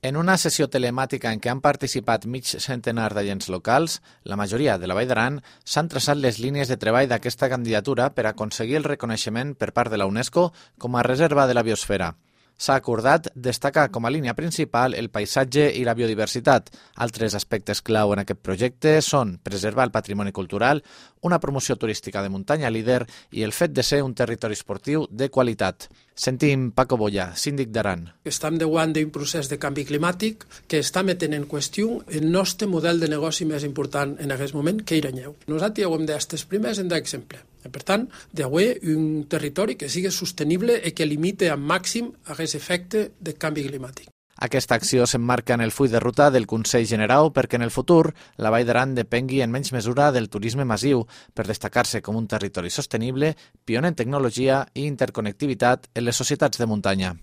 En una sessió telemàtica en què han participat mig centenar d'agents locals, la majoria de la Vall d'Aran, s'han traçat les línies de treball d'aquesta candidatura per aconseguir el reconeixement per part de la UNESCO com a reserva de la biosfera. S'ha acordat destacar com a línia principal el paisatge i la biodiversitat. Altres aspectes clau en aquest projecte són preservar el patrimoni cultural, una promoció turística de muntanya líder i el fet de ser un territori esportiu de qualitat. Sentim Paco Boya, síndic d'Aran. Estem davant d'un procés de canvi climàtic que està metent en qüestió el nostre model de negoci més important en aquest moment, que era Nyeu. Nosaltres ja ho hem d'estes primers en d'exemple. Per tant, d'haver un territori que sigui sostenible i que limite al màxim aquest efecte de canvi climàtic. Aquesta acció s'emmarca en el full de ruta del Consell Generau perquè en el futur la Vall d'Aran depengui en menys mesura del turisme massiu per destacar-se com un territori sostenible, pioner en tecnologia i interconnectivitat en les societats de muntanya.